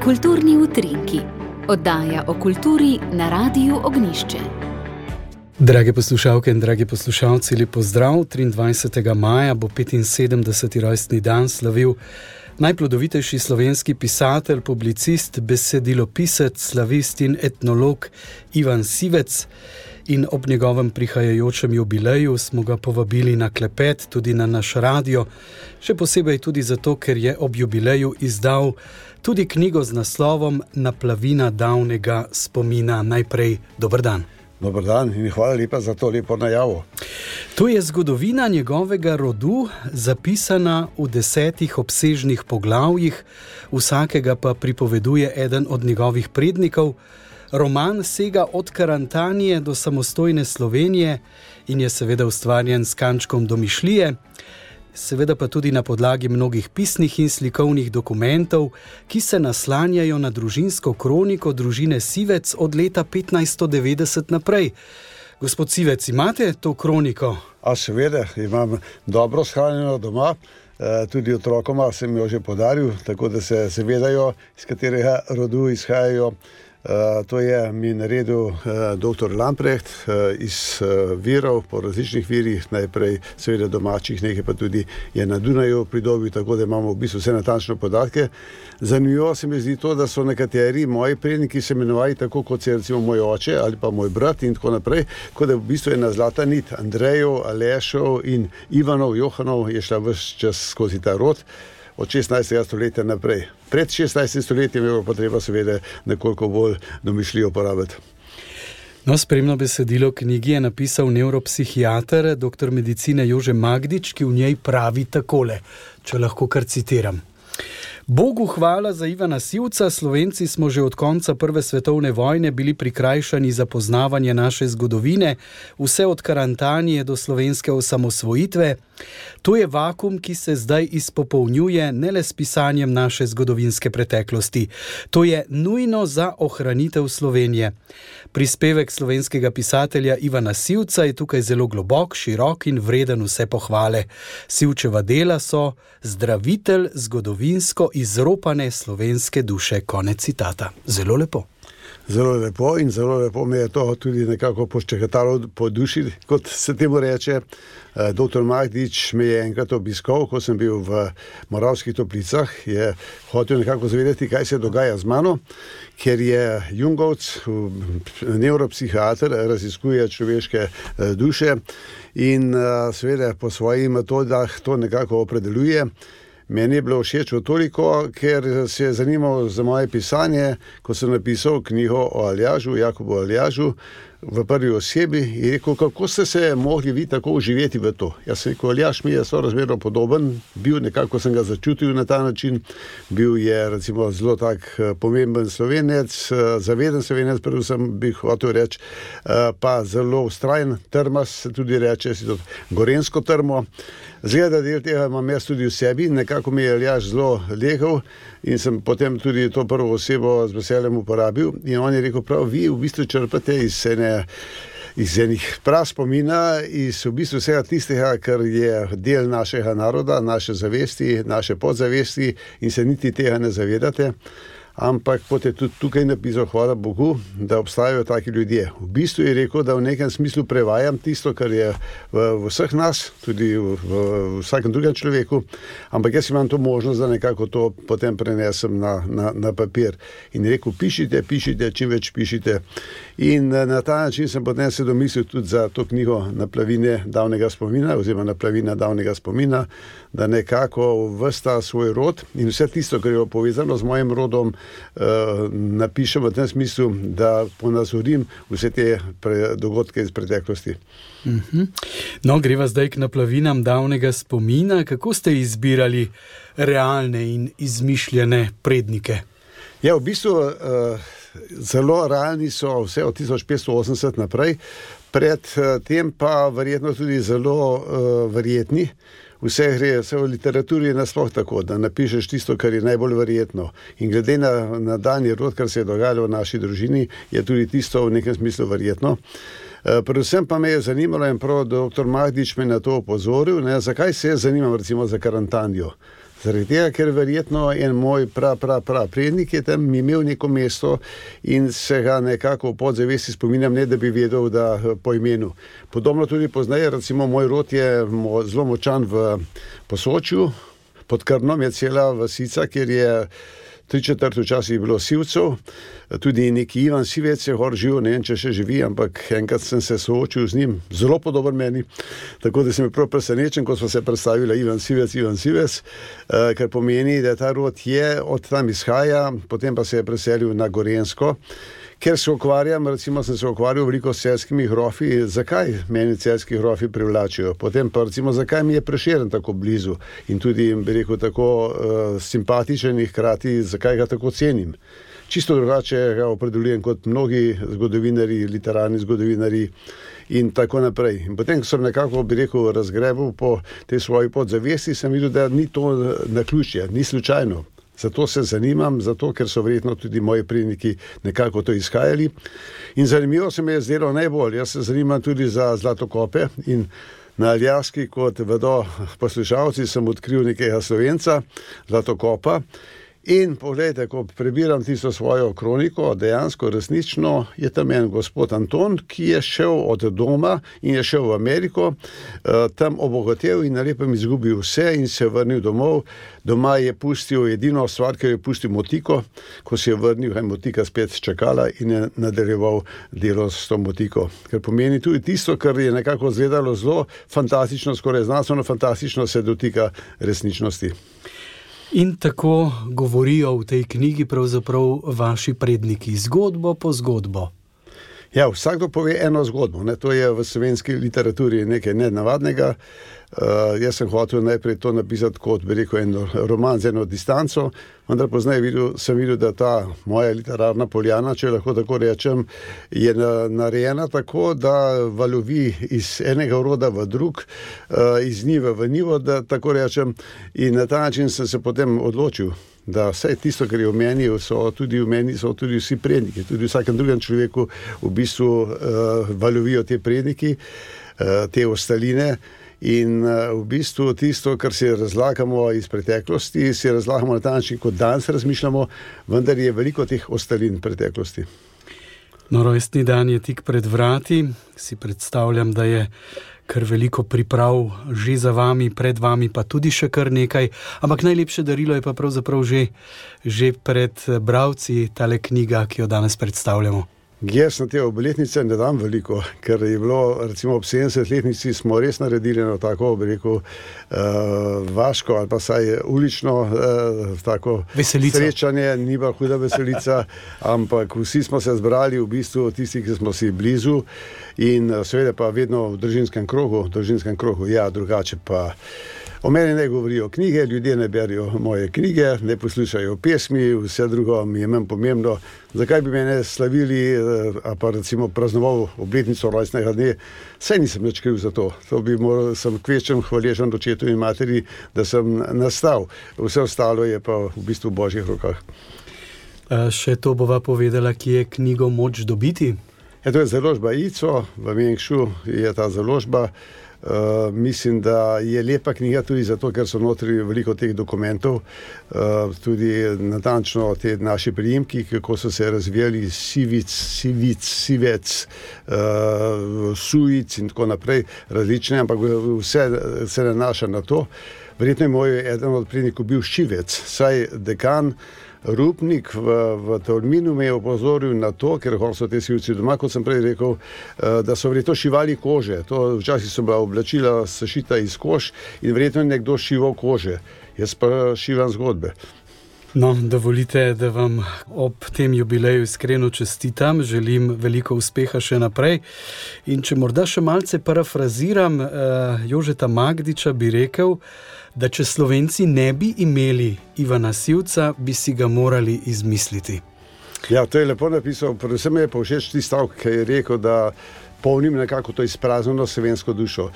Kulturni utrinki. Oddaja o kulturi na Radiu Ognjišče. Drage poslušalke in dragi poslušalci, lep pozdrav. 23. maja bo 75. rojstni dan slavil najplodovitejši slovenski pisatelj, publicist, besedilopisec, slavist in etnolog Ivan Sivec. In ob njegovem prihajajočem jubileju smo ga povabili na klepet tudi na naš radio, še posebej tudi zato, ker je ob jubileju izdal tudi knjigo z naslovom Naplavina davnega spomina. Najprej dober dan. Dober dan in hvala lepa za to lepo najavo. Tu je zgodovina njegovega rodu, zapisana v 10 obsežnih poglavjih, vsakega pa pripoveduje eden od njegovih prednikov. Roman sega od Karantanije do samostojne Slovenije in je seveda ustvarjen s kančkom domišljije, seveda pa tudi na podlagi mnogih pisnih in slikovnih dokumentov, ki se naslanjajo na družinsko kroniko družine Sivec od leta 1590 naprej. Gospod Sivec, imate to kroniko? A seveda, imam dobro shranjeno doma, tudi otrokoma sem jo že podaril, tako da se zavedajo, iz katerega rodu izhajajo. To je mi naredil dr. Lamprecht iz virov, po različnih virih, najprej seveda domačih, nekaj pa tudi je na Dunaju pridobil, tako da imamo v bistvu vse natančne podatke. Zanimivo se mi zdi to, da so nekateri moji predniki se imenovali tako, kot se recimo moj oče ali pa moj brat in tako naprej, kot da v bistvu ena zlata nit Andrejev, Alešov in Ivanov, Johanov je šla ves čas skozi ta rod od 16. stoletja naprej. Pred 16. stoletjem je bilo pa treba seveda nekoliko bolj domišljivo uporabiti. No, spremno besedilo knjigi je napisal nevropsihiater, doktor medicine Jože Magdič, ki v njej pravi takole, če lahko kar citiram. Bogu hvala za Ivana Sivca, Slovenci smo že od konca Prve svetovne vojne bili prikrajšani za poznavanje naše zgodovine, vse od Karantanije do slovenske osamosvojitve. To je vakuum, ki se zdaj izpopolnjuje ne le s pisanjem naše zgodovinske preteklosti. To je nujno za ohranitev Slovenije. Prispevek slovenskega pisatelja Ivana Sivca je tukaj zelo globok, širok in vreden vse pohvale. Sivčeva dela so zdravitelj zgodovinsko izropane slovenske duše. Konec citata. Zelo lepo. Zelo lepo in zelo lepo me je to tudi nekako poščekatalo po duši, kot se temu reče. Dr. Magdič me je enkrat obiskal, ko sem bil v Moravskih Toplicah, je hotel nekako zavedati, kaj se dogaja z mano, ker je Jungovc, nevropsihiater, raziskuje človeške duše in seveda po svojih metodah to nekako opredeljuje. Meni je bilo všeč toliko, ker se je zanimal za moje pisanje, ko sem napisal knjigo o Aljažu, Jakobu Aljažu, v prvi osebi in rekel, kako ste se mogli vi tako uživeti v to. Jaz sem rekel, Aljaž mi je sorazmerno podoben, bil nekako sem ga začutil na ta način, bil je recimo zelo tak pomemben Slovenec, zaveden Slovenec, predvsem bi hotel reči, pa zelo vztrajen, trmast se tudi reče, si to gorensko trmo. Zgleda, del tega imam jaz tudi v sebi, nekako mi je Aljaž zelo legel in sem potem tudi to prvo osebo z veseljem uporabil in on je rekel, prav, vi v bistvu črpate iz enih prav spomina, iz v bistvu vsega tistega, kar je del našega naroda, naše zavesti, naše podzavesti in se niti tega ne zavedate. Ampak pot je tudi tukaj napisal, hvala Bogu, da obstajajo taki ljudje. V bistvu je rekel, da v nekem smislu prevajam tisto, kar je v vseh nas, tudi v vsakem drugem človeku, ampak jaz imam to možnost, da nekako to potem prenesem na papir. In rekel, pišite, čim več pišite. In na ta način sem potem se domislil tudi za to knjigo Naplavine davnega spomina, oziroma Naplavina davnega spomina, da nekako vrsta svoj rod in vse tisto, kar je povezano z mojim rodom, napišem v tem smislu, da ponazorim vse te dogodke iz preteklosti. No, greva zdaj k naplavinam davnega spomina. Kako ste izbirali realne in izmišljene prednike? Ja, v bistvu zelo realni so vse od 1580 naprej, pred tem pa verjetno tudi zelo verjetni. Vse gre, vse v literaturi je nasploh tako, da napišeš tisto, kar je najbolj verjetno. In glede na danji rod, kar se je dogajalo v naši družini, je tudi tisto v nekem smislu verjetno. Predvsem pa me je zanimalo in prav dr. Magdič me na to opozoril, zakaj se zanimam recimo za Karantanijo. Zaradi tega, ker verjetno en moj prednik je tam imel neko mesto in se ga nekako v podzavesti spominjam, ne da bi vedel, da po imenu. Podobno tudi poznaje, recimo moj rod je zelo močan v Posočju, pod Krnom je cela vasica, kjer je 3/4 včasih bilo Sivcev, tudi neki Ivan Sivec je gor živel, ne vem, če še živi, ampak enkrat sem se soočil z njim, zelo podoben meni, tako da sem bil prav presenečen, ko smo se predstavili Ivan Sivec, kar pomeni, da ta rod je od tam izhaja, potem pa se je preselil na Gorenjsko. Ker se ukvarjam, recimo sem se ukvarjal veliko s celjskimi grofi, zakaj meni celjski grofi privlačijo, potem pa recimo zakaj mi je Prešeren tako blizu in tudi, bi rekel, tako simpatičen in hkrati, zakaj ga tako cenim. Čisto drugače ga opredeljujem kot mnogi zgodovinarji, literarni zgodovinarji in tako naprej. In potem, ko sem nekako, bi rekel, razgrebal po tej svoji podzavesti, sem videl, da ni to naključje, ni slučajno. Zato se zanimam, ker so verjetno tudi moji predniki nekako to izhajali. In zanimivo se mi je zdelo najbolj. Jaz se zanimam tudi za zlatokope in na Aljaski, kot vedo poslušalci, sem odkril nekega Slovenca, zlatokopa. In poglejte, ko prebiram tisto svojo kroniko, dejansko resnično je tam en gospod Anton, ki je šel od doma in je šel v Ameriko, tam obogatel in na lepem izgubil vse in se vrnil domov. Doma je pustil edino stvar, ker je pustil motiko, ko se je vrnil, je motika spet čakala in je nadaljeval delo s to motiko. Ker pomeni tudi tisto, kar je nekako izgledalo zelo fantastično, skoraj znanstveno fantastično, se dotika resničnosti. In tako govorijo v tej knjigi pravzaprav vaši predniki, zgodbo po zgodbo. Ja, vsakdo pove eno zgodbo, ne? To je v slovenski literaturi nekaj nenavadnega. Jaz sem hotel najprej to napisati kot, bi rekel, en roman z eno distanco, vendar poznaj sem videl, da ta moja literarna poljana, če lahko tako rečem, je narejena tako, da valovi iz enega roda v drug, iz njive v njivo, da tako rečem, in na ta način sem se potem odločil, da vse tisto, kar je v meni, so tudi vsi predniki, tudi v vsakem drugem človeku v bistvu valovijo te predniki, te ostaline. In v bistvu tisto, kar si razlagamo iz preteklosti, si razlagamo na ta način, kot danes razmišljamo, vendar je veliko teh ostalin preteklosti. No, rojstni dan je tik pred vrati, si predstavljam, da je kar veliko priprav že za vami, pred vami pa tudi še kar nekaj, ampak najlepše darilo je pa pravzaprav že pred bralci tale knjiga, ki jo danes predstavljamo. Jaz na te obletnice ne dam veliko, ker je bilo, recimo ob 70-letnici smo res naredili eno tako, bi rekel, vaško ali pa saj ulično tako veselico. Srečanje, ni pa huda veselica, ampak vsi smo se zbrali v bistvu tisti, ki smo si blizu in seveda pa vedno v družinskem krogu, ja, drugače pa o meni ne govorijo knjige, ljudje ne berijo moje knjige, ne poslušajo pesmi, vse drugo mi je manj pomembno. Zakaj bi mene slavili, a pa recimo praznoval obletnico rojstnega dne, saj nisem nič kriv za to. Sem kvečem hvaležen očetu in materi, da sem nastal. Vse ostalo je pa v bistvu v božjih rokah. Še to bova povedala, kje je knjigo moč dobiti? To je založba ICO, v Mengšu je ta založba. Mislim, da je lepa knjiga tudi zato, ker so notri veliko teh dokumentov, tudi natančno te naši priimki, kako so se razvijali, Sivec, Sujic in tako naprej, različne, ampak vse se nanaša na to. Verjetno je moj eden od prednikov bil Šivec, saj dekan Rupnik v Tolminu me je opozoril na to, ker so te sivci doma, kot sem prej rekel, da so verjetno šivali kože. To včasih so bila oblačila sešita iz kož in verjetno je nekdo šival kože. Jaz pa šivam zgodbe. No, dovolite, da vam ob tem jubileju iskreno čestitam, želim veliko uspeha še naprej. In če morda še malce parafraziram Jožeta Magdiča, bi rekel, da če Slovenci ne bi imeli Ivana Sivca, bi si ga morali izmisliti. Ja, to je lepo napisal, predvsem je pa všeč tisti stavek, ki je rekel, da polnim nekako to izpraznjeno slovensko dušo.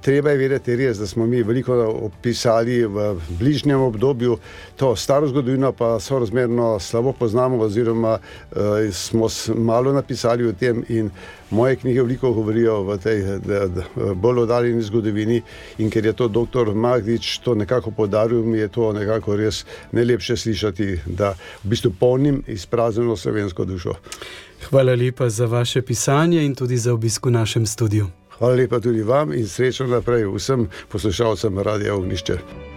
Treba je vedeti res, da smo mi veliko opisali v bližnjem obdobju, to staro zgodovino pa sorazmerno slabo poznamo oziroma smo malo napisali o tem in moje knjige veliko govorijo v tej bolj oddaljeni zgodovini in ker je to dr. Magdič to nekako poudaril, mi je to nekako res najlepše slišati, da v bistvu polnim izpraznjeno slovensko dušo. Hvala lepa za vaše pisanje in tudi za obisk v našem studiu. Hvala lepa tudi vam in srečno naprej vsem poslušalcem Radia Ognjišče.